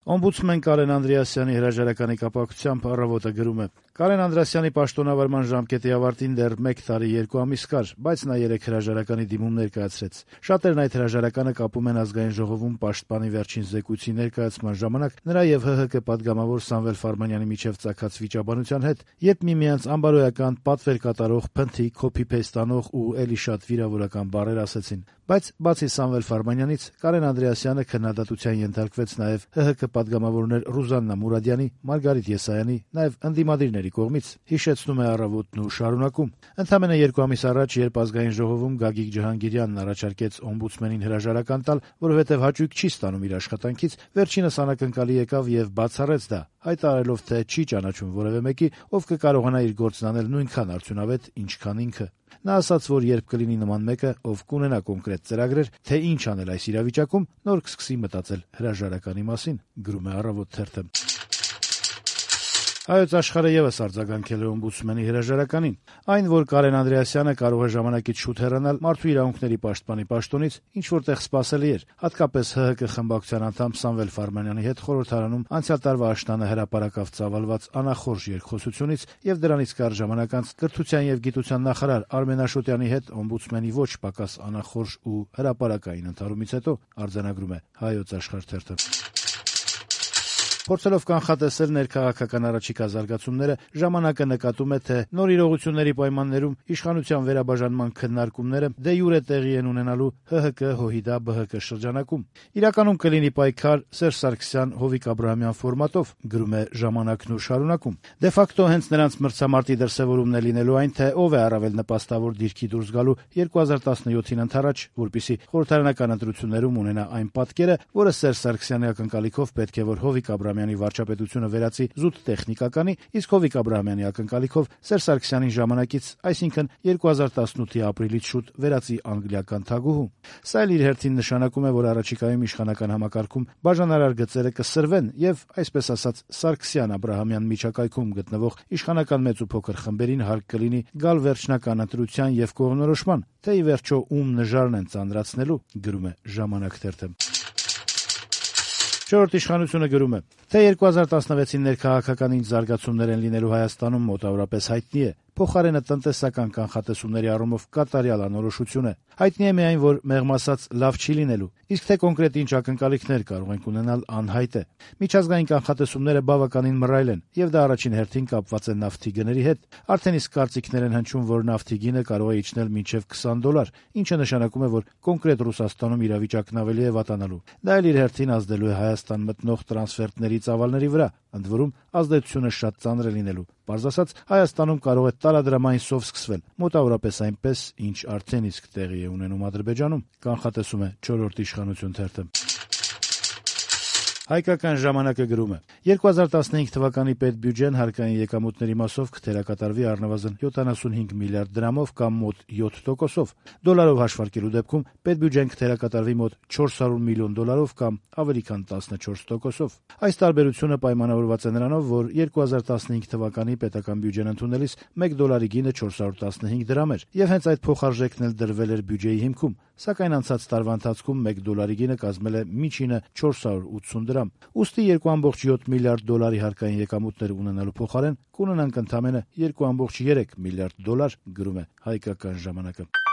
Օմբուդսմեն Կարեն Անդրեասյանի հրաժարականի կապակցությամբ «Առավոտը» գրում է. Կարեն Անդրեասյանի պաշտոնավարման ժամկետի ավարտին դեռ 1 տարի 2 ամիս կար, բայց նա 3 հրաժարականի դիմում ներկայացրեց։ Շատերն այդ հրաժարականը կապում են Ազգային ժողովում պաշտպանի վերջին զեկույցի ներկայացման ժամանակ նրա եւ ՀՀԿ պատգամավոր Սամվել Ֆարմանյանի միջեւ ծագած վիճաբանության հետ, երբ միմյանց անբարոյական, պատվեր կատարող, փնթի, copy-paste անող ու էլի շատ վիրավորական բառեր ասեցին։ Բայց բացի Սամվել Ֆարմանյանից, Կարեն Անդրեասյանը քննադատության ենթարկվեց նաեւ ՀՀԿ պատգամավորներ Ռուզաննա Մուրադյանի, Մարգարիտ Եսայանի, նաեւ ընդդիմադիրների կողմից, հիշեցնում է «Առավոտն» ու շարունակում։ Ընդամենը 2 ամիս առաջ, երբ Ազգային ժողովում Գագիկ Ջհանգիրյանն առաջարկեց օմբուդսմենին հրաժարական տալ, որովհետեւ հաճույք չի ստանում իր աշխատանքից, վերջինս անակնկալի եկավ եւ բացառեց դա, հայտարարելով, թե չի ճանաչում որեւէ մեկի, ով կկարողանա իր գործն անել նույնքան արդյունավետ, ինչքան ինքը։ Նա ասաց, որ երբ կլինի նման մեկը, ով կունենա կոնկրետ ծրագրեր, թե ինչ անել այս իրավիճակում, նոր կսկսի մտածել հրաժարականի մասին, գրում է «Առավոտ» թերթը։ Հայոց Աշխարհը եւս արձագանքել է օմբուդսմենի հրաժարականին։ Այն, որ Կարեն Անդրեասյանը կարող է ժամանակից շուտ հեռանալ մարդու իրավունքների պաշտպանի պաշտոնից, ինչ որտեղ սպասելի էր, հատկապես ՀՀԿ խմբակցության անդամ Սամվել Ֆարմանյանի հետ խորհրդարանում անցյալ տարվա աշնանը հրապարակավ ծավալված անախորժ երկխոսությունից եւ դրանից կարճ ժամանակ անց կրթության եւ գիտության նախարար Արմեն Աշոտյանի հետ օմբուդսմենի ոչ պակաս անախորժ ու հրապարակային ընդհարումից հետո, արձանագրում է Հայոց Աշխարհ թերթը։ Փորձելով կանխատեսել ներքաղաքական առաջիկա զարգացումները, ժամանակը նկատում է, թե նոր իրողությունների պայմաններում իշխանության վերաբաժանման քննարկումները դե յուրե տեղի են ունենալու ՀՀԿ-ՀՅԴ-ԲՀԿ շրջանակում։ Իրականում կլինի պայքար Սերժ Սարգսյան Հովիկ Աբրահամյան ֆորմատով, գրում է ժամանակն ու շարունակում։ Դե ֆակտո հենց նրանց մրցամարտի դրսևորումն է լինելու այն, թե ով է առավել նպաստավոր դիրքի դուրս գալու 2017-ին ընդառաջ, որպեսզի խորհրդարանական ընտրություններում ունենա այն պատկերը, որը Սերժ Սարգսյանի ակնկալիքով պետք է որ Հովիկ Աբրահամյանի վարչապետությունը վերածի զուտ տեխնիկականի, իսկ Հովիկ Աբրահամյանի ակնկալիքով Սերժ Սարգսյանին ժամանակից, այսինքն 2018-ի ապրիլից շուտ վերածի անգլիական թագուհու։ Սա էլ իր հերթին նշանակում է, որ առաջիկայում իշխանական համակարգում բաժանարար գծերը կսրվեն եւ, այսպես ասած, Սարգսյան-Աբրահամյան միջակայքում գտնվող իշխանական մեծ ու փոքր խմբերին հարկ կլինի գալ վերջնական ընտրության եւ կողմնորոշման, թե ի վերջո ում նժարն են ծանրացնելու, գրում է Ժամանակ թերթը։ Չորրորդ իշխանությունը գրում է, թե 2016-ին ներքաղաքական ինչ զարգացումներ են լինելու Հայաստանում մոտավորապես հայտնի է, փոխարենը տնտեսական կանխատեսումների առումով կատարյալ անորոշություն է։ Հայտնի է միայն, որ մեղմ ասած լավ չի լինելու, իսկ թե կոնկրետ ինչ ակնկալիքներ կարող ենք ունենալ անհայտ է։ Միջազգային կանխատեսումները բավականին մռայլ են, եւ դա առաջին հերթին կապված է նավթի գների հետ։ Արդեն իսկ կարծիքներ են հնչում, որ նավթի գինը կարող է իջնել մինչև $20, ինչը նշանակում է, որ կոնկրետ Ռուսաստանում իրավիճակն ավելի է վատանալու։ Դա էլ իր հերթին ազդելու է Հայաստան մտնող տրանսֆերտների ծավալների վրա, ընդ որում ազդեցությունը շատ ծանր է լինելու։ Պարզ ասած, Հայաստանում կարող է տարադրամային սով սկսվել, մոտավորապես այնպես, ինչ արդեն իսկ տեղի է ունենում Ադրբեջանում, կանխատեսում է չորրորդ իշխանություն թերթը։ Հայկական ժամանակը գրում է. 2015 թվականի պետբյուջեն հարկային եկամուտների մասով կթերակատարվի առնվազն 75 միլիարդ դրամով կամ մոտ 7%-ով։ Դոլարով հաշվարկելու դեպքում պետբյուջեն կթերակատարվի մոտ 400 միլիոն դոլարով կամ ավելի քան 14%-ով։ Այս տարբերությունը պայմանավորված է նրանով, որ 2015 թվականի պետական բյուջեն ընդունելիս $1 գինը 415 դրամ էր, եւ հենց այդ փոխարժեքն էլ դրվել էր բյուջեի հիմքում, սակայն անցած տարվա ընթացքում $1 գինը կազմել է միջինը 480 դրամ։ Ուստի 2.7 միլիարդ դոլարի հարկային եկամուտներ ունենալու փոխարեն կունենանք ընդամենը $2.3 միլիարդ, գրում է Հայկական ժամանակը։